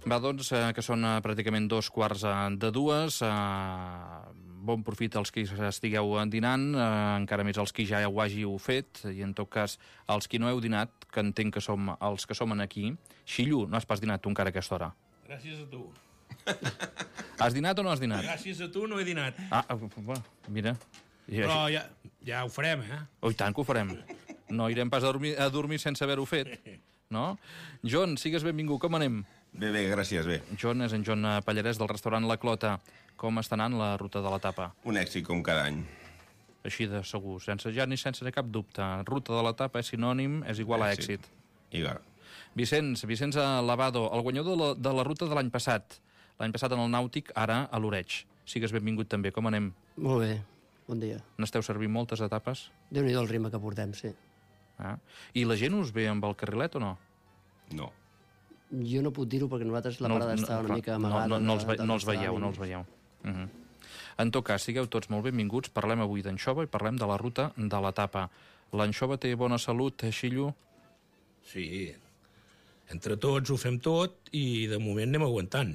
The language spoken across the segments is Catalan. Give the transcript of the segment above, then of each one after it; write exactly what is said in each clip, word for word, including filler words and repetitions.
Va, doncs, eh, que són eh, pràcticament dos quarts eh, de dues. Eh, bon profit als qui estigueu dinant, eh, encara més els qui ja ho hàgiu fet, i en tot cas, els qui no heu dinat, que entenc que som els que som aquí. Xillo, no has pas dinat tu encara a aquesta hora? Gràcies a tu. Has dinat o no has dinat? Gràcies a tu no he dinat. Ah, bueno, mira. Però ja, ja ho farem, eh? Oh, i tant que ho farem. No irem pas a dormir, a dormir sense haver-ho fet, no? John, sigues benvingut, com anem? Bé, bé, gràcies, bé. John és en John Pallarès del restaurant La Clota. Com està anant la ruta de la tapa? Un èxit com cada any. Així de segur, sense ja ni sense cap dubte. Ruta de la tapa és sinònim, és igual a èxit. Igual. Vicenç, Vicenç Lavado, el guanyador de la, de la ruta de l'any passat. L'any passat en el Nàutic, ara a l'Oreig. Sigues benvingut també, com anem? Molt bé, bon dia. N'esteu servint moltes etapes? Déu-n'hi-do el ritme que portem, sí. Ah. I la gent us ve amb el carrilet o no? No. Jo no puc dir-ho perquè nosaltres la parada no, no, està una clar, mica amagada. No, no, no, els, ve, de, de no els veieu, no els veieu. Uh -huh. En tot cas, sigueu tots molt benvinguts. Parlem avui d'anxova i parlem de la ruta de l'etapa. L'anxova té bona salut, Xillo? Sí, entre tots ho fem tot i de moment anem aguantant.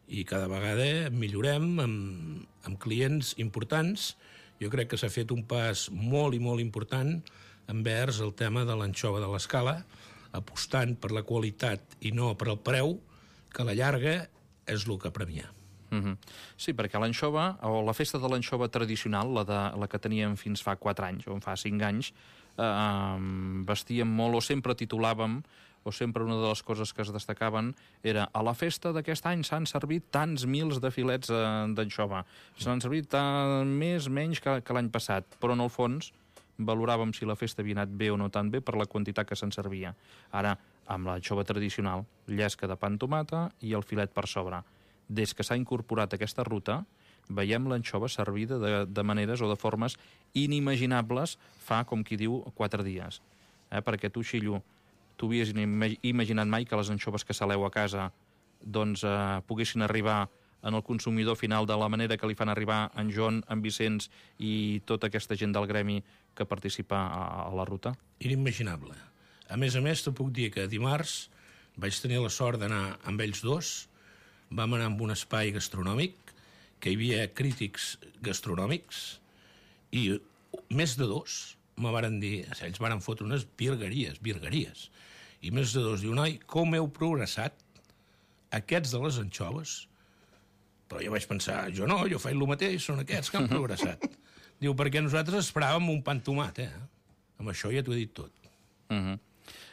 I cada vegada millorem amb, amb clients importants. Jo crec que s'ha fet un pas molt i molt important envers el tema de l'anxova de l'escala, apostant per la qualitat i no per el preu, que a la llarga és el que premia. Uh -huh. Sí, perquè l'anxova, o la festa de l'anxova tradicional, la, de, la que teníem fins fa quatre anys, o fa cinc anys, eh, vestíem molt, o sempre titulàvem, o sempre una de les coses que es destacaven era a la festa d'aquest any s'han servit tants mils de filets eh, d'anxova. S'han servit eh, més, menys que, que l'any passat, però en el fons valoràvem si la festa havia anat bé o no tan bé per la quantitat que se'n servia. Ara, amb l'anxova tradicional, llesca de pa amb tomata i el filet per sobre. Des que s'ha incorporat aquesta ruta, veiem l'anxova servida de, de maneres o de formes inimaginables fa, com qui diu, quatre dies. Eh? Perquè tu, Xillo, tu havies imaginat mai que les anxoves que saleu a casa doncs eh, poguessin arribar en el consumidor final de la manera que li fan arribar en John, en Vicenç i tota aquesta gent del gremi que participa a, a la ruta? Inimaginable. A més a més, te puc dir que dimarts vaig tenir la sort d'anar amb ells dos. Vam anar amb un espai gastronòmic, que hi havia crítics gastronòmics, i més de dos me varen dir, ells varen fotre unes virgueries, virgueries, i més de dos diu, noi, com heu progressat aquests de les anxoves? Però jo vaig pensar, jo no, jo faig el mateix, són aquests que han progressat. Diu, perquè nosaltres esperàvem un pa amb tomat, eh? Amb això ja t'ho he dit tot. Uh -huh.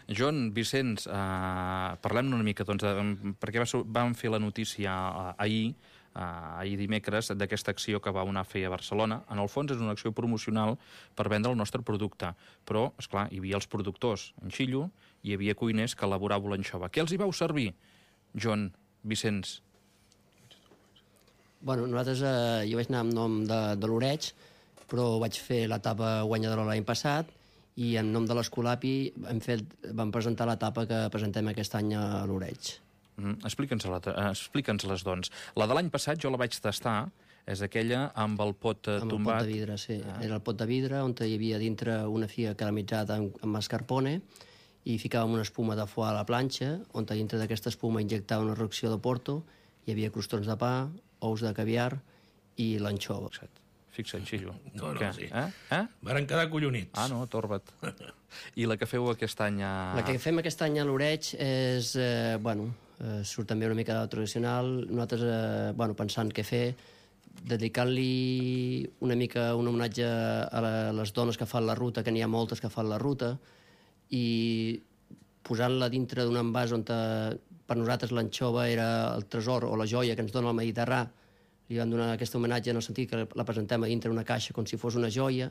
John, Vicenç, eh, parlem una mica, doncs, de, perquè va, vam fer la notícia eh, ahir, eh, ahir dimecres, d'aquesta acció que va anar a fer a Barcelona. En el fons és una acció promocional per vendre el nostre producte, però, esclar, hi havia els productors en Xillo, hi havia cuiners que elaboràveu l'anxova. Què els hi vau servir, John, Vicenç? Bueno, nosaltres, eh, jo vaig anar en nom de, de l'Oreig, però vaig fer l'etapa guanyadora l'any passat, i en nom de l'Escolapi hem fet, vam presentar l'etapa que presentem aquest any a l'Oreig. Mm, Explica'ns-les, explica'ns-les, doncs. La de l'any passat jo la vaig tastar, és aquella amb el pot eh, amb tombat. Amb el pot de vidre, sí. Ah. Era el pot de vidre on hi havia dintre una figa caramelitzada amb, amb mascarpone i ficàvem una espuma de foie a la planxa, on dintre d'aquesta espuma injectava una reacció de porto, hi havia crostons de pa, ous de caviar i l'anxova. Fixa't, Xillo. No, no, Què? sí. Eh? Eh? Varen quedar collonits. Ah, no, torba't. I la que feu aquest any a... La que fem aquest any a l'Oreig és, eh, bueno, eh, surt també una mica de tradicional. Nosaltres, eh, bueno, pensant què fer, dedicant-li una mica un homenatge a, la, a les dones que fan la ruta, que n'hi ha moltes que fan la ruta, i posant-la dintre d'un envàs on te, per nosaltres l'anxova era el tresor o la joia que ens dona el Mediterrà. Li vam donar aquest homenatge en el sentit que la presentem a dintre una caixa com si fos una joia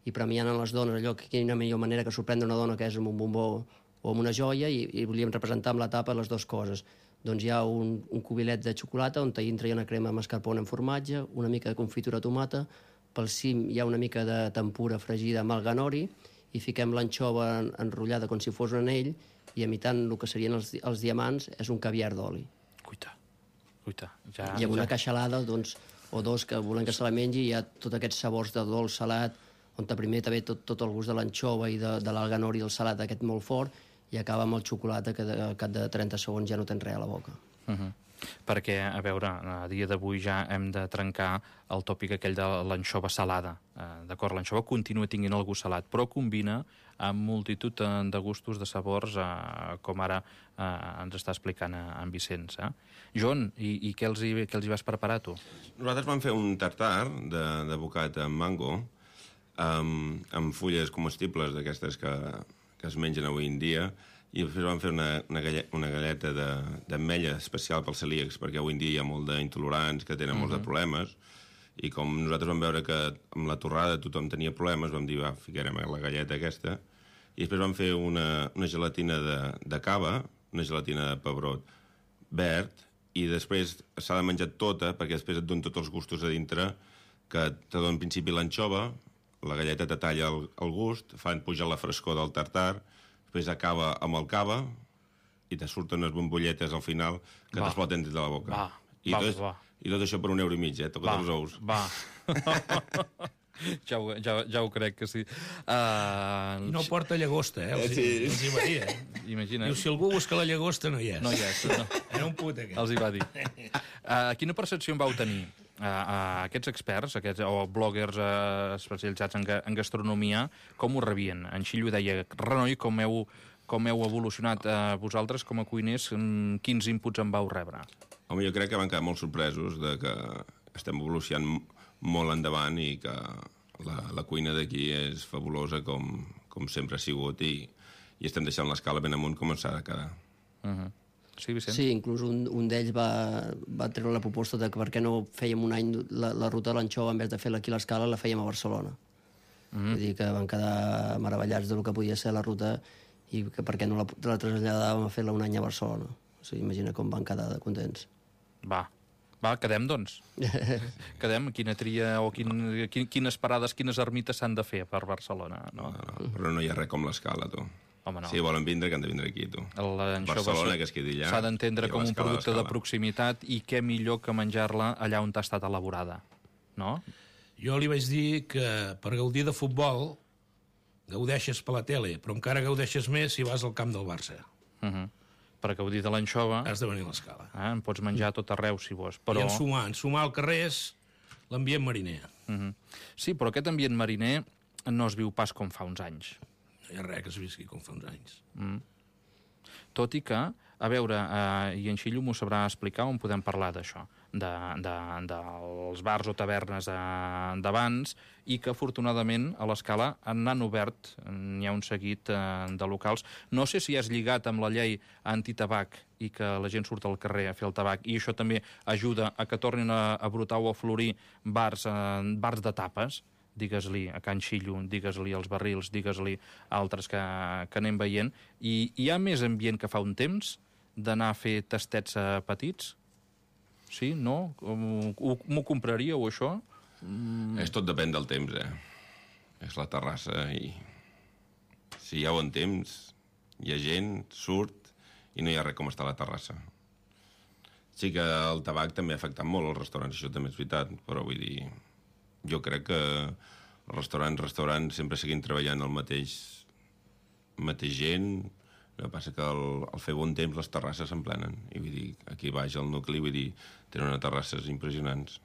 i premiant a les dones allò que quina millor manera que sorprendre una dona que és amb un bombó o amb una joia, i, i volíem representar amb l'etapa les dues coses. Doncs hi ha un, un cubilet de xocolata on dintre hi ha una crema mascarpone amb formatge, una mica de confitura de tomata, pel cim hi ha una mica de tempura fregida amb alganori i fiquem l'anxova enrotllada com si fos un anell i imitant el que serien els, els diamants és un caviar d'oli. Cuita. Cuita. Ja, I amb una ja. caixalada, doncs, o dos que volen que se la mengi, hi ha tots aquests sabors de dolç, salat, on primer també tot, tot el gust de l'anxova i de, de l'alganori i el salat aquest molt fort, i acaba amb el xocolata que de, al cap de trenta segons ja no tens res a la boca. Uh -huh. Perquè, a veure, a dia d'avui ja hem de trencar el tòpic aquell de l'anxova salada. Eh, D'acord, l'anxova continua tinguent el gust salat, però combina amb multitud de gustos, de sabors, eh, com ara eh, ens està explicant en Vicenç. Eh? Joan, i, i què, els hi, què els hi vas preparar, tu? Nosaltres vam fer un tartar de, de bocat amb mango, amb, amb fulles comestibles d'aquestes que, que es mengen avui en dia, i després vam fer una, una, galleta, una galleta d'ametlla especial pels celíacs, perquè avui en dia hi ha molt d'intolerants que tenen uh -huh. molts de problemes, i com nosaltres vam veure que amb la torrada tothom tenia problemes, vam dir, va, ficarem la galleta aquesta, i després vam fer una, una gelatina de, de cava, una gelatina de pebrot verd, i després s'ha de menjar tota, perquè després et donen tots els gustos a dintre, que te donen en principi l'anxova, la galleta te talla el, el gust, fan pujar la frescor del tartar, després acaba amb el cava i te surten unes bombolletes al final que t'exploten dins de la boca. Va, I, va, tot, va. I tot això per un euro i mig, eh? Tocat els ous. Va, ja, ho, ja, ja ho crec que sí. Uh, I no porta llagosta, eh? Els, Sí. els hi va dir, eh? Imagina. Diu, si algú busca la llagosta, no hi és. No hi és. No. Era un put, aquest. Els hi va dir. Uh, quina percepció en vau tenir? Uh, uh, aquests experts, aquests, o bloggers uh, especialitzats en, ga, en gastronomia, com ho rebien? En Xillo deia, renoi, com heu, com heu evolucionat uh, vosaltres com a cuiners, um, quins inputs en vau rebre? Home, jo crec que van quedar molt sorpresos de que estem evolucionant molt endavant i que la, la cuina d'aquí és fabulosa com, com sempre ha sigut i, i estem deixant l'escala ben amunt com ens ha de quedar. Uh -huh. Sí, Vicent? Sí, inclús un, un d'ells va, va treure la proposta de que per què no fèiem un any la, la ruta de l'anxova, en vez de fer-la aquí a l'Escala, la fèiem a Barcelona. Mm. Vull dir que van quedar meravellats del que podia ser la ruta i que per què no la, la traslladàvem a fer-la un any a Barcelona. O sigui, imagina com van quedar de contents. Va, va, quedem, doncs. Quedem, quina tria o quin, quin, quines parades, quines ermites s'han de fer per Barcelona, no? No, no, però no hi ha res com l'escala, tu. Home, no. Si volen vindre, que han de vindre aquí, tu. Barcelona, que es quedi allà. S'ha d'entendre com un l'escala, producte de l'escala. proximitat i què millor que menjar-la allà on ha estat elaborada, no? Jo li vaig dir que per gaudir de futbol gaudeixes per la tele, però encara gaudeixes més si vas al camp del Barça. Uh -huh. Per gaudir de l'anxova, Has de venir a l'Escala. eh, en pots menjar a tot arreu, si vols. Però... Però... I ensumar, ensumar al carrer és l'ambient mariner. Uh -huh. Sí, però aquest ambient mariner no es viu pas com fa uns anys. No hi ha res que es visqui com fa uns anys. Mm. Tot i que, a veure, eh, i en Xillo m'ho sabrà explicar on podem parlar d'això, de, de, dels bars o tavernes eh, d'abans, i que afortunadament a l'Escala n'han obert, n'hi ha un seguit eh, de locals. No sé si has lligat amb la llei antitabac i que la gent surt al carrer a fer el tabac, i això també ajuda a que tornin a, a brotar o a florir bars, eh, bars de tapes, digues-li a Can Xillo, digues-li als barrils, digues-li altres que, que anem veient, i hi ha més ambient que fa un temps d'anar a fer tastets a petits? Sí? No? M'ho compraríeu, això? Mm. És tot depèn del temps, eh? És la terrassa i... Si hi ha bon temps, hi ha gent, surt, i no hi ha res com estar a la terrassa. Sí que el tabac també ha afectat molt els restaurants, això també és veritat, però vull dir... Jo crec que els restaurants, restaurants sempre seguim treballant el mateix, mateix gent. El que passa que al, al fer bon temps les terrasses s'emplenen. I vull dir, aquí baix al nucli, vull dir, tenen unes terrasses impressionants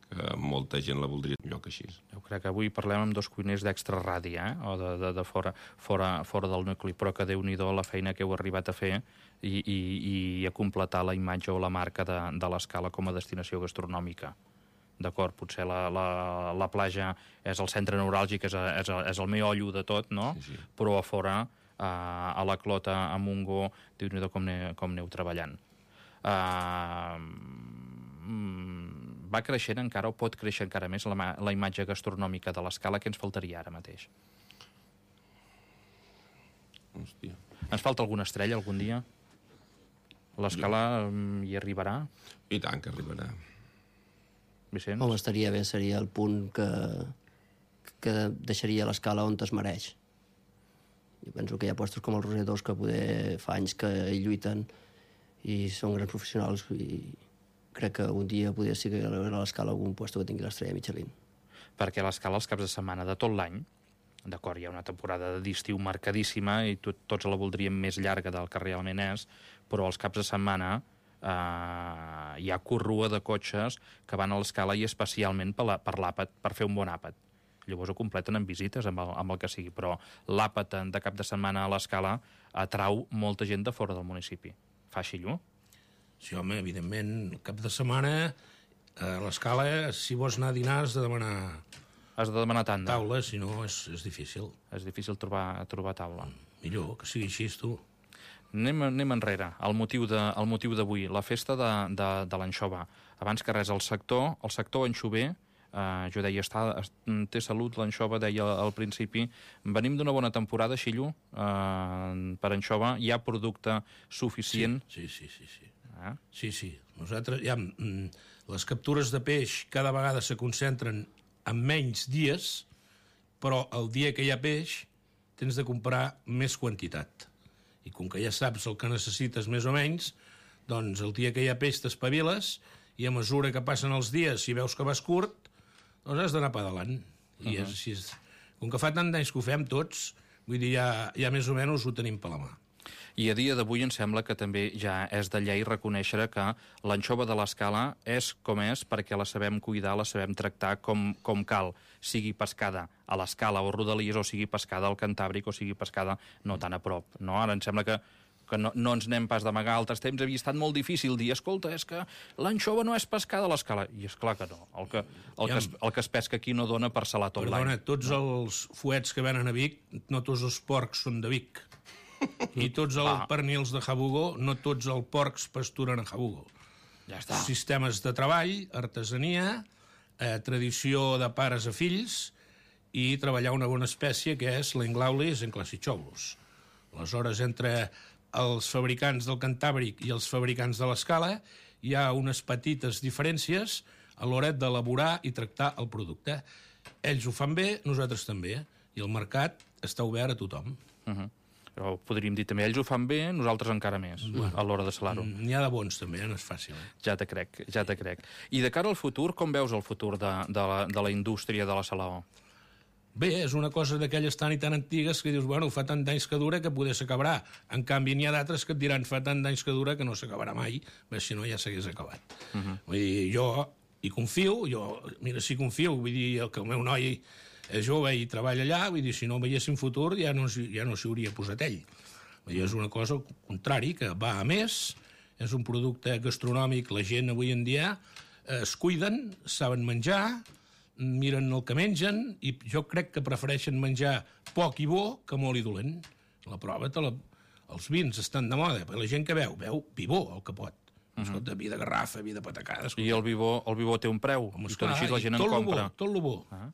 que molta gent la voldria un lloc així. Jo crec que avui parlem amb dos cuiners d'extra radi, eh? O de, de, de fora, fora, fora del nucli, però que Déu-n'hi-do la feina que heu arribat a fer i, i, i a completar la imatge o la marca de, de l'Escala com a destinació gastronòmica. D'acord, potser la, la, la platja és el centre neuràlgic, és, és, és el meollo de tot, no? Sí, sí. Però a fora, a, a la Clota, a Montgó, Déu-n'hi-do com, ne, com aneu treballant. Uh, va creixent encara, o pot créixer encara més, la, la imatge gastronòmica de l'Escala, que ens faltaria ara mateix? Hòstia. Ens falta alguna estrella algun dia? L'Escala jo... hi arribarà? I tant que arribarà. Vicenç? Home, estaria bé, seria el punt que, que deixaria l'Escala on es mereix. Jo penso que hi ha puestos com els Rosetós que poder fa anys que hi lluiten i són grans professionals i crec que un dia podria ser que a l'Escala algun puesto que tingui l'estrella Michelin. Perquè a l'Escala els caps de setmana de tot l'any, d'acord, hi ha una temporada d'estiu marcadíssima i tot, tots la voldríem més llarga del que realment és, però els caps de setmana Uh, hi ha corrua de cotxes que van a l'Escala i especialment per, la, per l'àpat, per fer un bon àpat. Llavors ho completen amb visites, amb el, amb el que sigui, però l'àpat de cap de setmana a l'Escala atrau molta gent de fora del municipi. Fa així, Llu? Sí, home, evidentment, cap de setmana a l'Escala, si vols anar a dinar, has de demanar... Has de demanar tanda. Taula, si no és, és difícil. És difícil trobar, trobar taula. Millor que sigui així, tu. Anem, anem enrere. El motiu de, el motiu d'avui, la festa de, de, de l'anxova. Abans que res, el sector, el sector anxover, eh, jo deia, està, té salut l'anxova, deia al principi. Venim d'una bona temporada, Xillo, eh, per anxova. Hi ha producte suficient. Sí, sí, sí. sí, sí. Eh? Sí, sí. Nosaltres, ja, mm, les captures de peix cada vegada se concentren en menys dies, però el dia que hi ha peix tens de comprar més quantitat. I com que ja saps el que necessites més o menys, doncs el dia que hi ha peix t'espaviles i a mesura que passen els dies, si veus que vas curt, doncs has d'anar pedalant. I uh -huh. és així. Com que fa tant d'anys que ho fem tots, vull dir, ja, ja més o menys ho tenim per la mà. I a dia d'avui em sembla que també ja és de llei reconèixer que l'anxova de l'Escala és com és perquè la sabem cuidar, la sabem tractar com, com cal, sigui pescada a l'Escala o Rodalies o sigui pescada al Cantàbric o sigui pescada no tan a prop. No? Ara em sembla que, que no, no ens n'hem pas d'amagar. Altres temps havia estat molt difícil dir, escolta, és que l'anxova no és pescada a l'Escala. I és clar que no. El que, el, que es, el que es pesca aquí no dona per salar tot l'any. Perdona, tots els fuets que venen a Vic, no tots els porcs són de Vic. I tots els ah. pernils de Jabugo, no tots els porcs pasturen a Jabugo. Ja està. Sistemes de treball, artesania, eh, tradició de pares a fills i treballar una bona espècie que és l'Englaulis enclassichoulus. Aleshores, entre els fabricants del Cantàbric i els fabricants de l'Escala hi ha unes petites diferències a l'hora d'elaborar i tractar el producte. Ells ho fan bé, nosaltres també, i el mercat està obert a tothom. Uh -huh. Però podríem dir també, ells ho fan bé, nosaltres encara més, bueno, a l'hora de salar-ho. N'hi ha de bons també, no és fàcil. Eh? Ja te crec, ja te crec. I de cara al futur, com veus el futur de, de, la, de la indústria de la salaó? Bé, és una cosa d'aquelles tan i tan antigues que dius, bueno, fa tant d'anys que dura que poder s'acabarà. En canvi, n'hi ha d'altres que et diran fa tant d'anys que dura que no s'acabarà mai, perquè si no ja s'hagués acabat. Uh -huh. Vull dir, jo hi confio, jo, mira, si confio, vull dir, que el meu noi és jove i treballa allà, vull dir, si no veiéssim futur ja no, ja no s'hi hauria posat ell. Vull dir, és una cosa al contrari, que va a més, és un producte gastronòmic, la gent avui en dia eh, es cuiden, saben menjar, miren el que mengen, i jo crec que prefereixen menjar poc i bo que molt i dolent. La prova, te la... els vins estan de moda, però la gent que beu, beu vi bo, el que pot. Uh -huh. Escolta, vi de garrafa, vi de patacada... Escolta. I el vi bo, el vi bo té un preu, home, i tot així la gent en compra. Bo, tot el bo. Ah.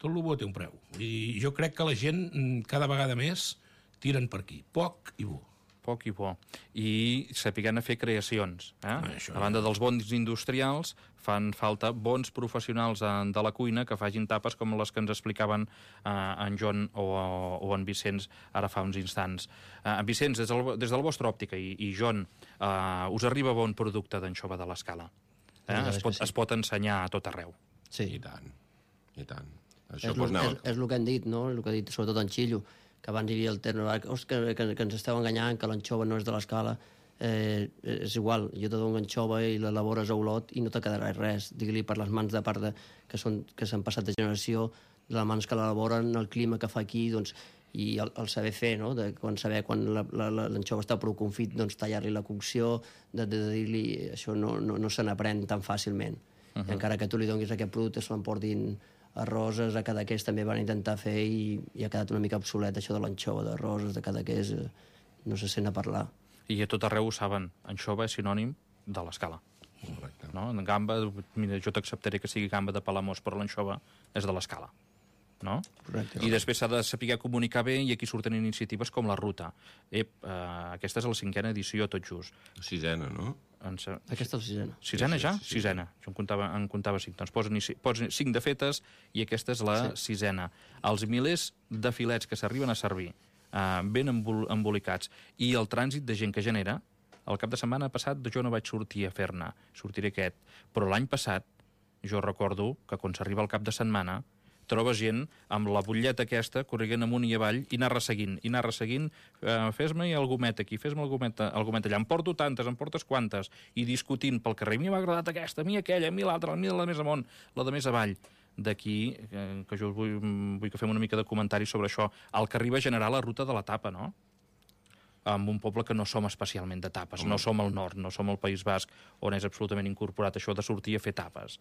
Tot el bo té un preu. I jo crec que la gent cada vegada més tiren per aquí. Poc i bo. Poc i bo. I sapiguen a fer creacions. Eh? Ah, això, a banda dels bons industrials, fan falta bons professionals de la cuina que facin tapes com les que ens explicaven eh, en Joan o, o en Vicenç ara fa uns instants. Eh, en Vicenç, des, del, des de la vostra òptica, i, i Joan, eh, us arriba bon producte d'anxova de l'Escala. Eh? Es, pot, sí. es pot ensenyar a tot arreu. Sí. I tant, i tant. Això és, el, és, és el que han dit, no? El que ha dit sobretot en Xillo, que abans hi havia el terme, que, que, que ens esteu enganyant, que l'anxova no és de l'Escala. Eh, és igual, jo te dono anxova i l'elabores a Olot i no te quedarà res. Digue-li per les mans de part de, que són que s'han passat de generació, de les mans que l'elaboren, el clima que fa aquí, doncs, i el, el saber fer, no? De quan saber quan l'anxova està prou confit, doncs tallar-li la cocció, de, de, de dir-li... Això no, no, no se n'aprèn tan fàcilment. Uh -huh. I encara que tu li donis aquest producte, se l'emportin a Roses, a Cadaqués també van intentar fer i, i ha quedat una mica obsolet això de l'anxova de Roses, de Cadaqués, eh, no se sent a parlar. I a tot arreu ho saben, anxova és sinònim de l'Escala. No? En gamba, mira, jo t'acceptaré que sigui gamba de Palamós, però l'anxova és de l'Escala. No? Correcte. I després s'ha de saber comunicar bé i aquí surten iniciatives com la Ruta. Ep, eh, aquesta és la cinquena edició, tot just. Sisena, no? Ens... Aquesta és la sisena. Sisena ja? Sí, sí, sí. Sisena. Jo en comptava, en comptava cinc. Doncs posen, posen cinc de fetes i aquesta és la sí. sisena. Els milers de filets que s'arriben a servir eh, ben embol embolicats i el trànsit de gent que genera, el cap de setmana passat jo no vaig sortir a fer-ne, sortiré aquest, però l'any passat jo recordo que quan s'arriba el cap de setmana trobes gent amb la butlleta aquesta, corrent amunt i avall, i anar resseguint, i anar resseguint, eh, fes-me el gomet aquí, fes-me el gomet, el gomet allà, em porto tantes, em portes quantes, i discutint pel carrer, a mi m'ha agradat aquesta, a mi aquella, a mi l'altra, a mi la més amunt, la de més avall. D'aquí, eh, que jo vull, vull que fem una mica de comentari sobre això, el que arriba a generar la ruta de la tapa, no? Amb un poble que no som especialment de tapes, no som al nord, no som al País Basc, on és absolutament incorporat això de sortir a fer tapes.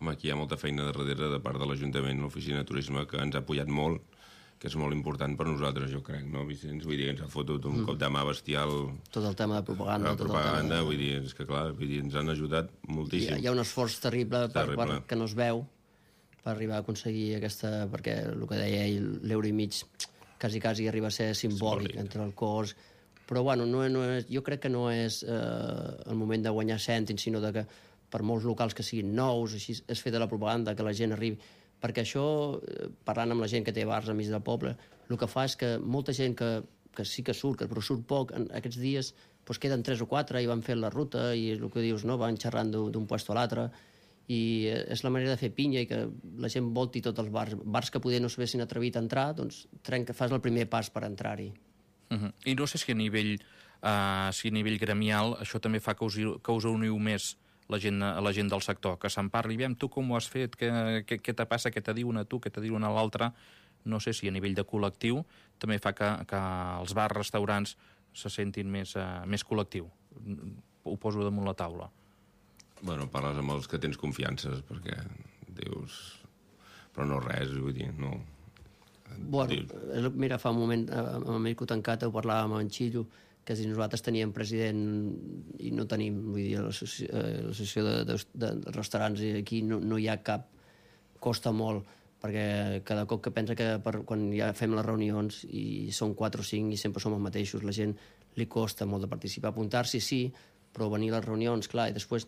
Home, aquí hi ha molta feina darrere de part de l'Ajuntament, l'Oficina de Turisme, que ens ha apoyat molt, que és molt important per nosaltres, jo crec, no, Vicenç? Vull dir que ens ha fotut un mm. cop de mà bestial... Tot el tema de propaganda. La propaganda, tot el tema de... vull dir, és que clar, vull dir, ens han ajudat moltíssim. Hi ha, hi ha un esforç terrible, terrible. Per, per, que no es veu per arribar a aconseguir aquesta... Perquè el que deia ell, l'euro i mig, quasi, quasi arriba a ser simbòlic, simbòlic. Entre el cos... Però, bueno, no, no és, jo crec que no és eh, el moment de guanyar cèntims, sinó de que per molts locals que siguin nous, així es fet de la propaganda, que la gent arribi... Perquè això, parlant amb la gent que té bars enmig del poble, el que fa és que molta gent que, que sí que surt, però surt poc, en aquests dies doncs queden tres o quatre i van fent la ruta, i és el que dius, no? Van xerrant d'un puesto a l'altre, i és la manera de fer pinya i que la gent volti tots els bars. Bars que poder no s'haguessin atrevit a entrar, doncs trenca, fas el primer pas per entrar-hi. Uh-huh. I no sé si a nivell, uh, si a nivell gremial això també fa que us, que us uniu més la gent, la gent del sector, que se'n parli, veiem tu com ho has fet, què, què, què te passa, què te diuen a tu, què te diuen a l'altre. No sé si a nivell de col·lectiu també fa que, que els bars, restaurants se sentin més, uh, més col·lectiu. Ho poso damunt la taula. Bueno, parles amb els que tens confiances, perquè dius... Però no res, vull dir, no... Bueno, mira, fa un moment amb el Mirko Tancat ho parlàvem amb en Xillo, que si nosaltres teníem president i no tenim, vull dir, l'associació de, de, de restaurants aquí no, no hi ha cap, costa molt, perquè cada cop que pensa que per, quan ja fem les reunions i són quatre o cinc i sempre som els mateixos, la gent li costa molt de participar, apuntar-s'hi sí, però venir a les reunions, clar, i després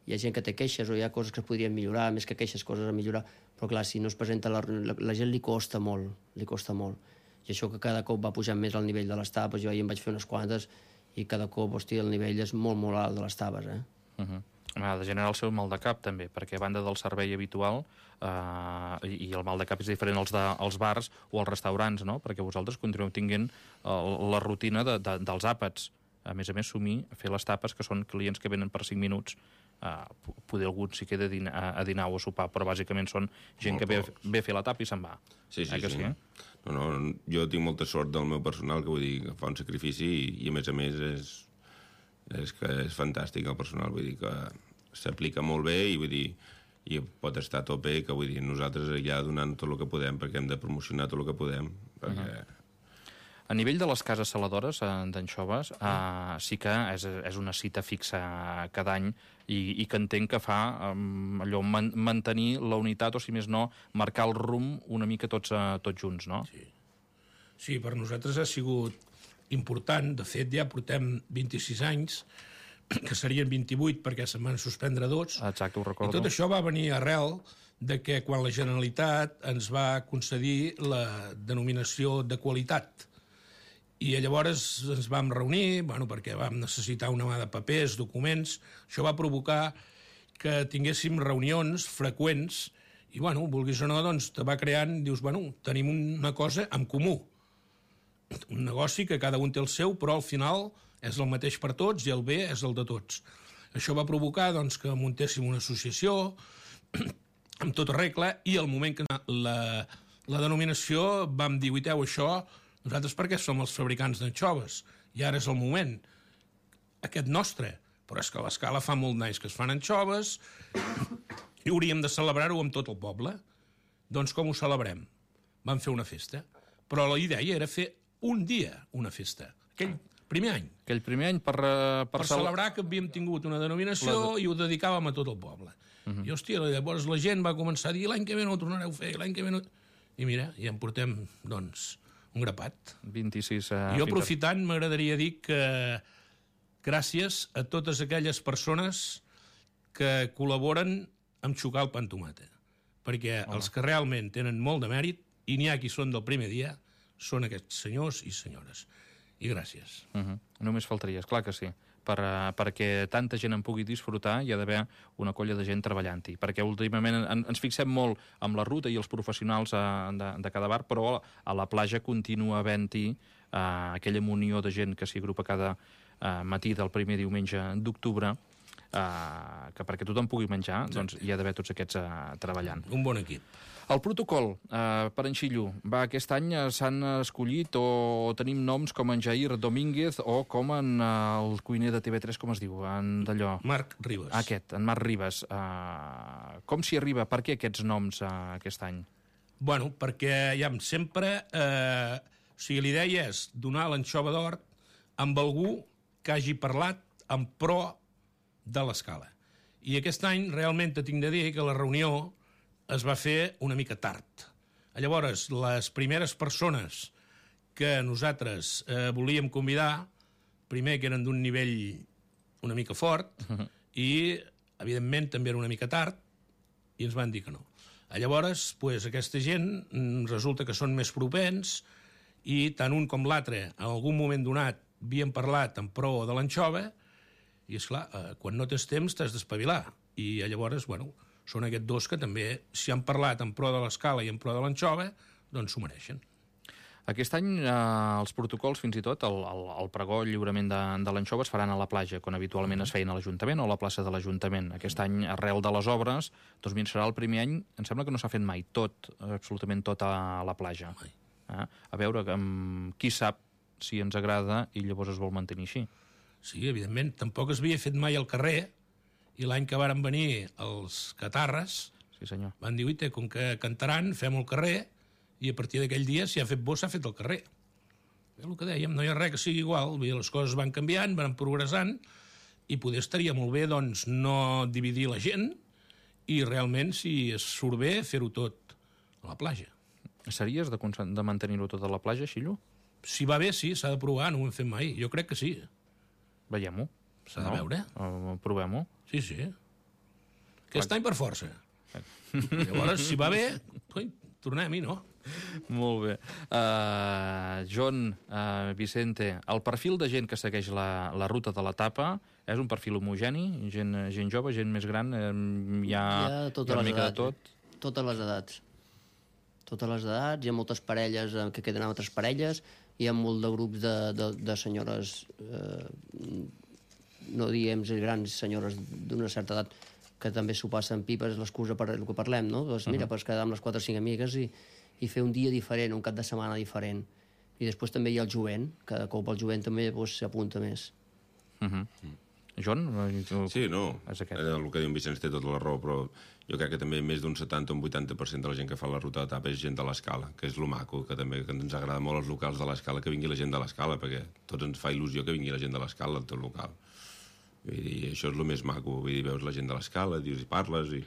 hi ha gent que té queixes o hi ha coses que es podrien millorar, més que queixes, coses a millorar, però clar, si no es presenta la, la, la gent li costa molt, li costa molt. I això que cada cop va pujant més al nivell de les tapes, jo ahir em vaig fer unes quantes i cada cop, hòstia, el nivell és molt, molt alt de les tapes, eh? Uh-huh. Ha de generar el seu mal de cap, també, perquè a banda del servei habitual, eh, i el mal de cap és diferent als, de, als bars o als restaurants, no? Perquè vosaltres continueu tinguent el, la rutina de, de, dels àpats. A més a més, sumir, fer les tapes, que són clients que venen per cinc minuts, Uh, poder algun sí queda a dinar, a dinar o a sopar, però bàsicament són gent molt que ve, ve a fer la tapa i se'n va. Sí, sí, eh que sí. sí eh? No, no, jo tinc molta sort del meu personal, que vull dir, que fa un sacrifici i, i a més a més és, és que és fantàstic el personal, vull dir que s'aplica molt bé i vull dir, i pot estar a tope, que vull dir, nosaltres ja donant tot el que podem, perquè hem de promocionar tot el que podem, perquè... Uh-huh. A nivell de les cases saladores eh, d'anxoves, eh, sí que és, és una cita fixa cada any i, i que entenc que fa eh, allò, man, mantenir la unitat, o si més no, marcar el rumb una mica tots, eh, tots junts, no? Sí. Sí, per nosaltres ha sigut important. De fet, ja portem vint-i-sis anys, que serien vint-i-vuit perquè se'n van suspendre dos. Exacte, ho recordo. I tot això va venir arrel de que quan la Generalitat ens va concedir la denominació de qualitat. I llavors ens vam reunir, bueno, perquè vam necessitar una mà de papers, documents. Això va provocar que tinguéssim reunions freqüents i, bueno, vulguis o no, doncs te va creant, dius, bueno, tenim una cosa en comú. Un negoci que cada un té el seu, però al final és el mateix per tots i el bé és el de tots. Això va provocar, doncs, que muntéssim una associació amb tota regla i al moment que la, la denominació vam dir, uiteu, això... Nosaltres perquè som els fabricants d'anxoves i ara és el moment aquest nostre, però és que a l'Escala fa molt d'anys que es fan anxoves i hauríem de celebrar-ho amb tot el poble. Doncs com ho celebrem? Vam fer una festa, però la idea era fer un dia una festa, aquell primer any. Aquell primer any per... Per, per celebrar que havíem tingut una denominació la... i ho dedicàvem a tot el poble. Uh-huh. I, hòstia, llavors la gent va començar a dir l'any que ve no ho tornareu a fer, l'any que ve no... I mira, ja en portem, doncs... un grapat. vint-i-sis... Uh, jo, aprofitant, m'agradaria dir que gràcies a totes aquelles persones que col·laboren amb xocar el pa amb tomata. Perquè Hola. Els que realment tenen molt de mèrit, i n'hi ha qui són del primer dia, són aquests senyors i senyores. I gràcies. Uh-huh. Només faltaria, clar que sí. per, uh, perquè tanta gent en pugui disfrutar hi ha d'haver una colla de gent treballant-hi, perquè últimament en, ens fixem molt amb la ruta i els professionals uh, de, de cada bar, però a la platja continua havent-hi uh, aquella munió de gent que s'hi agrupa cada uh, matí del primer diumenge d'octubre, uh, que perquè tothom pugui menjar, doncs hi ha d'haver tots aquests uh, treballant. Un bon equip. El protocol uh, per en Xillo, va, aquest any uh, s'han escollit o tenim noms com en Jair Domínguez o com en uh, el cuiner de T V tres, com es diu, en d'allò? Marc Ribas. Aquest, en Marc Ribas. Uh, com s'hi arriba? Per què aquests noms uh, aquest any? Bueno, perquè ja sempre... Eh, o sigui, l'idea és donar l'anxova d'or amb algú que hagi parlat en pro de l'escala. I aquest any realment tinc de dir que la reunió es va fer una mica tard. Llavors, les primeres persones que nosaltres eh, volíem convidar, primer que eren d'un nivell una mica fort, uh-huh. i, evidentment, també era una mica tard, i ens van dir que no. Llavors, pues, aquesta gent resulta que són més propens, i tant un com l'altre, en algun moment donat, havien parlat en pro de l'anxova, i, esclar, eh, quan no tens temps t'has d'espavilar. I llavors, bueno, són aquests dos que també, si han parlat en pro de l'escala i en pro de l'anxova, doncs s'ho mereixen. Aquest any eh, els protocols, fins i tot, el, el, el pregó, el lliurament de, de l'anxova es faran a la platja, quan habitualment es feien a l'Ajuntament o a la plaça de l'Ajuntament. Aquest any, arrel de les obres, doncs mira, serà el primer any, em sembla que no s'ha fet mai tot, absolutament tot a la platja. Eh? A veure, um, qui sap si ens agrada i llavors es vol mantenir així. Sí, evidentment, tampoc es havia fet mai al carrer, i l'any que varen venir els catarres, sí, senyor. Van dir, uite, com que cantaran, fem-ho al carrer, i a partir d'aquell dia, si ha fet bo, s'ha fet al carrer. És el que dèiem, no hi ha res que sigui igual, les coses van canviant, van progressant, i poder estaria molt bé, doncs, no dividir la gent, i realment, si es surt bé, fer-ho tot a la platja. Series de, de mantenir-ho tot a la platja, Xillo? Si va bé, sí, s'ha de provar, no ho hem fet mai. Jo crec que sí. Veiem-ho. S'ha de veure. Uh, Provem-ho. Sí, sí. Aquest any per força. Llavors, si va bé, coi, tornem-hi, no? Molt bé. Uh, John, uh, Vicente, el perfil de gent que segueix la, la ruta de l'etapa és un perfil homogeni? Gent, gent jove, gent més gran? Uh, hi ha, hi ha, totes hi ha una les mica edats, de tot? Totes les edats. Totes les edats. Hi ha moltes parelles que queden amb altres parelles. Hi ha molt de grups de, de, de senyores... Eh, no diem grans senyores d'una certa edat que també s'ho passen pipes, l'excusa per el que parlem, no? Doncs mira, uh -huh. pots quedar amb les quatre o cinc amigues i, i fer un dia diferent, un cap de setmana diferent. I després també hi ha el jovent, cada cop el jovent també s'apunta més. Uh -huh. John? Sí, no, és aquest. El que diu en Vicenç té tota la raó, però jo crec que també més d'un setanta o un vuitanta per cent de la gent que fa la ruta d'etapa és gent de l'Escala, que és lo maco, que també que ens agrada molt els locals de l'Escala, que vingui la gent de l'Escala, perquè tots ens fa il·lusió que vingui la gent de l'Escala al teu local. Vull dir, això és el més maco, vull dir, veus la gent de l'Escala, dius i parles, i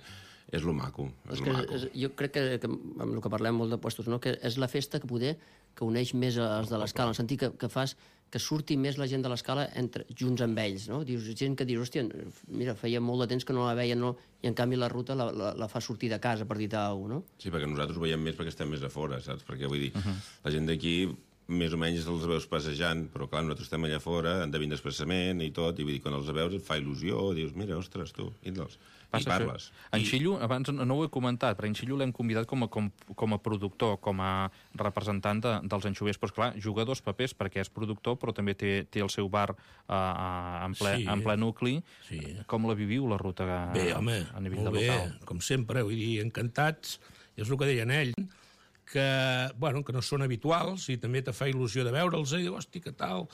és lo maco. És, és lo que, maco. És, jo crec que, que, amb el que parlem molt de puestos, no? Que és la festa que poder que uneix més els de l'Escala, en el sentit que, que fas que surti més la gent de l'Escala entre, junts amb ells, no? Dius, gent que dius, hòstia, mira, feia molt de temps que no la veien, no? I en canvi la ruta la, la, la fa sortir de casa, per dir-te alguna cosa, no? Sí, perquè nosaltres ho veiem més perquè estem més a fora, saps? Perquè, vull dir, uh -huh. la gent d'aquí més o menys els veus passejant, però clar, nosaltres estem allà fora, han de vindre expressament i tot, i vull dir, quan els veus et fa il·lusió, dius, mira, ostres, tu, vindre'ls. I parles. En I... Xillo, abans no ho he comentat, però en Xillo l'hem convidat com a, com, com a productor, com a representant de, dels anxovers, però esclar, juga dos papers, perquè és productor, però també té, té el seu bar uh, en, ple, sí. en ple nucli. Sí. Com la viviu, la ruta a, bé, home, a nivell molt de local? Bé, com sempre, vull dir, encantats, és el que deien ell, que, bueno, que no són habituals i també te fa il·lusió de veure'ls i diu, hosti, que tal,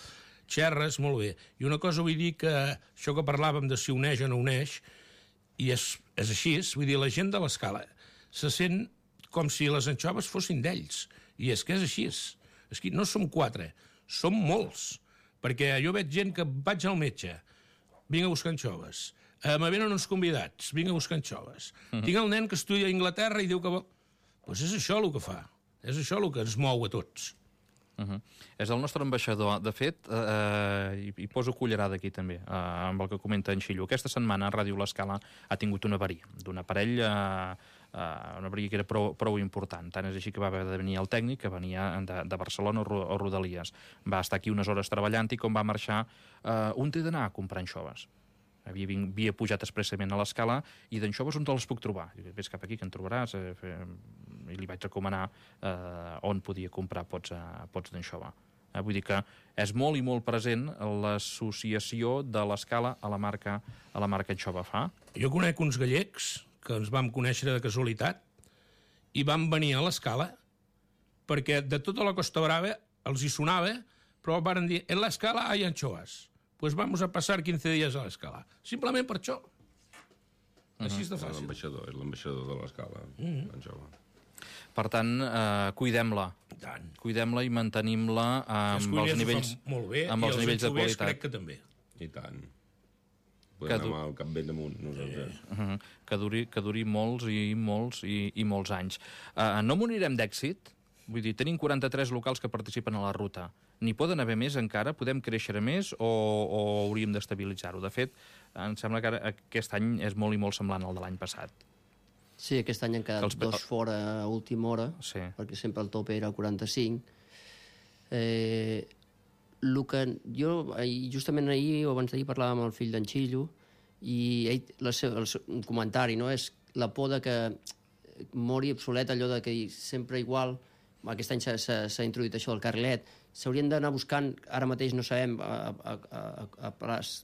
xerres, molt bé. I una cosa vull dir que això que parlàvem de si uneix o no uneix, i és, és així, vull dir, la gent de l'Escala se sent com si les anxoves fossin d'ells, i és que és així. És que no som quatre, som molts, perquè jo veig gent que vaig al metge, vinc a buscar anxoves, eh, me venen uns convidats, vinc a buscar anxoves, uh-huh. tinc el nen que estudia a Anglaterra i diu que vol... Doncs és això el que fa, és això el que ens mou a tots. Uh-huh. És el nostre ambaixador. De fet, eh, i, i poso cullerada aquí també, eh, amb el que comenta en Xillo. Aquesta setmana Ràdio L'Escala ha tingut una avaria d'un aparell eh, Uh, una vegueria que era prou, prou important. Tant és així que va haver de venir el tècnic, que venia de, de Barcelona o, o Rodalies. Va estar aquí unes hores treballant i com va marxar, uh, on té d'anar a comprar anxoves? Havia, vinc, havia pujat expressament a l'escala i d'anxoves on te les puc trobar? I vés cap aquí que en trobaràs. Eh, fe... I li vaig recomanar uh, on podia comprar pots, uh, pots d'anxova. Eh, vull dir que és molt i molt present l'associació de l'escala a la marca, a la marca anxova fa. Jo conec uns gallecs que ens vam conèixer de casualitat, i van venir a l'escala perquè de tota la Costa Brava els hi sonava, però van dir, en l'escala hay anchoas, pues vamos a pasar quinze días a l'escala. Simplement per això. Així és de fàcil. L'ambaixador, és l'ambaixador de l'escala, mm -hmm. Per tant, eh, cuidem-la. Cuidem-la i mantenim-la amb els nivells, molt bé, amb els nivells de qualitat. Crec que també. I tant. Podem anar amb el cap ben damunt, nosaltres. Uh -huh. que, duri, que duri molts i molts i, i molts anys. Uh, no morirem d'èxit? Vull dir, tenim quaranta-tres locals que participen a la ruta. N'hi poden haver més encara? Podem créixer més o, o hauríem d'estabilitzar-ho? De fet, em sembla que ara, aquest any és molt i molt semblant al de l'any passat. Sí, aquest any han quedat els... dos fora a última hora, sí. perquè sempre el tope era quaranta-cinc. Eh, el que jo, justament ahir o abans d'ahir parlàvem amb el fill d'en Xillo i ell, la seva, el seu, un comentari, no? És la por de que mori obsolet allò de que sempre igual, aquest any s'ha introduït això del carrilet, s'haurien d'anar buscant, ara mateix no sabem a, a, a, a plaç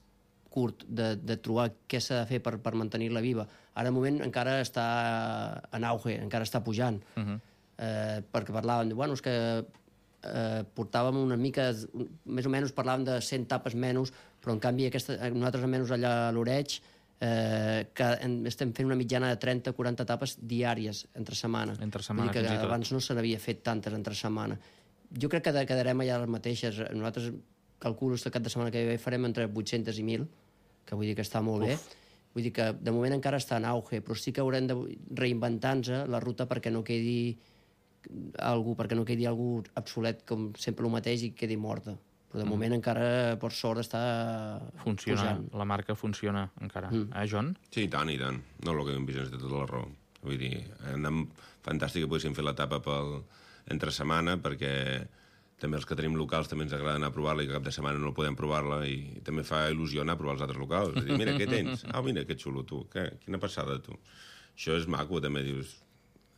curt de, de trobar què s'ha de fer per, per mantenir-la viva. Ara, de moment, encara està en auge, encara està pujant. Uh -huh. eh, perquè parlàvem, bueno, és que eh, portàvem una mica, més o menys parlàvem de cent tapes menys, però en canvi aquesta, nosaltres almenys allà a l'Oreig eh, que estem fent una mitjana de trenta a quaranta tapes diàries entre setmana. Entre setmana, Vull dir que abans no se n'havia fet tantes entre setmana. Jo crec que quedarem allà les mateixes. Nosaltres calculo que el cap de setmana que ve farem entre vuit-centes i mil, que vull dir que està molt Uf. bé. Vull dir que de moment encara està en auge, però sí que haurem de reinventar-nos la ruta perquè no quedi algú, perquè no quedi algú obsolet com sempre el mateix i quedi morta. Però de moment mm. encara, per sort, està funciona, pujant. La marca funciona encara. Mm. Eh, Joan? Sí, i tant, i tant. No, el que hem vist és de tota la raó. Vull dir, anem fantàstic que poguéssim fer l'etapa pel entre setmana, perquè també els que tenim locals també ens agrada anar a provar-la i que cap de setmana no podem provar-la i també fa il·lusió anar a provar els altres locals. És dir, mira, què tens? Ah, mira, que xulo, tu. Què? Quina passada, tu. Això és maco, també, dius,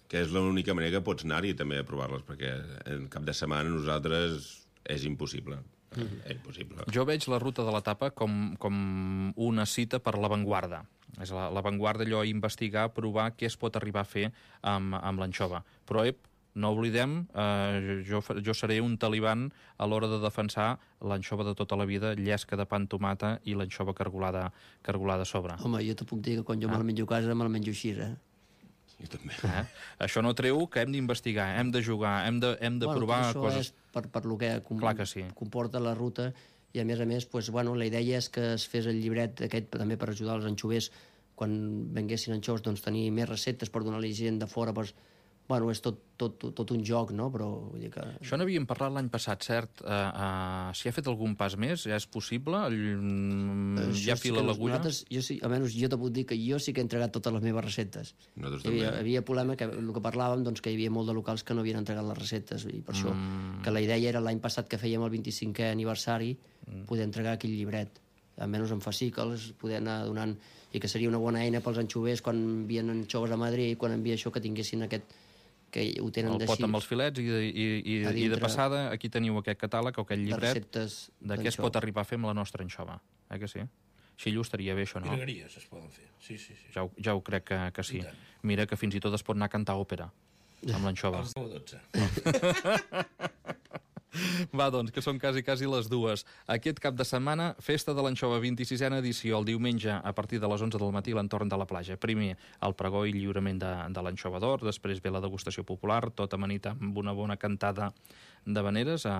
que és l'única manera que pots anar-hi també a provar-les, perquè en cap de setmana nosaltres és impossible. Mm-hmm. És impossible. Jo veig la ruta de l'etapa com, com una cita per l'avantguarda. És l'avantguarda, allò, investigar, provar què es pot arribar a fer amb, amb l'anxova. Però, ep, no oblidem, eh, jo, jo seré un taliban a l'hora de defensar l'anxova de tota la vida, llesca de pa amb tomata i l'anxova cargolada, cargolada a sobre. Home, jo te puc dir que quan jo ah. me la menjo a casa me la menjo així, eh? Jo també. Eh? Això no treu que hem d'investigar, hem de jugar, hem de, hem de bueno, provar això coses... És per, per lo que com, Clar que sí. comporta la ruta i, a més a més, pues, bueno, la idea és que es fes el llibret aquest també per ajudar els anxovers quan venguessin anxoves, doncs tenir més receptes per donar-li gent de fora, doncs, bueno, és tot, tot, tot, tot un joc, no? Però vull dir que... Això n'havíem parlat l'any passat, cert? Uh, uh, si ha fet algun pas més, ja és possible? Uh, ja fila sí l'agulla? Jo sí, almenys jo te puc dir que jo sí que he entregat totes les meves receptes. Nosaltres hi havia, també. havia problema, que el que parlàvem, doncs, que hi havia molt de locals que no havien entregat les receptes, i per mm. això que la idea era l'any passat que fèiem el vint-i-cinquè aniversari mm. poder entregar aquell llibret. Almenys en fascicles, poder anar donant... I que seria una bona eina pels anxovers quan envien anxoves a Madrid, quan envia això, que tinguessin aquest... que ho tenen el pot amb els filets i, i, i, i de passada aquí teniu aquest catàleg o aquest llibret de què es pot arribar a fer amb la nostra anxova. Eh que sí? Xillo, estaria bé això, no? Virgueries es poden fer, sí, sí. sí. Ja, ho, ja ho crec que, que sí. Mira que fins i tot es pot anar a cantar òpera amb l'anxova. Els deu a dotze. Va, doncs, que són quasi, quasi les dues. Aquest cap de setmana, festa de l'anxova, vint-i-sisena edició, el diumenge a partir de les onze del matí a l'entorn de la platja. Primer, el pregó i lliurament de, de l'anxova d'or, després ve la degustació popular, tot amanit amb una bona cantada de veneres, eh,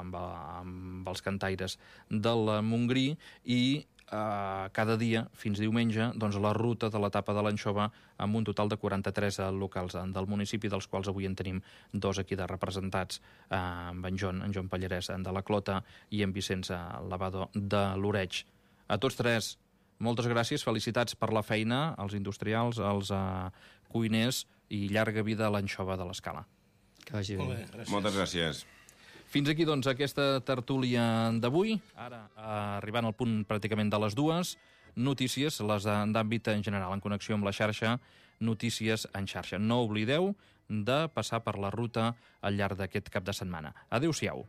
amb, amb els cantaires del Montgrí, i Uh, cada dia, fins diumenge, doncs, la ruta de l'etapa de l'anxova amb un total de quaranta-tres locals del municipi, dels quals avui en tenim dos aquí de representats, uh, amb en Jon, en Jon Pallarès de la Clota i en Vicenç Lavado de l'Oreig. A tots tres, Moltes gràcies, felicitats per la feina als industrials, als uh, cuiners i llarga vida a l'anxova de l'Escala. Que vagi bé. Molt bé, gràcies. Moltes gràcies. Fins aquí, doncs, aquesta tertúlia d'avui. Ara, eh, arribant al punt pràcticament de les dues, notícies, les d'àmbit en general, en connexió amb la xarxa, notícies en xarxa. No oblideu de passar per la ruta al llarg d'aquest cap de setmana. Adéu-siau.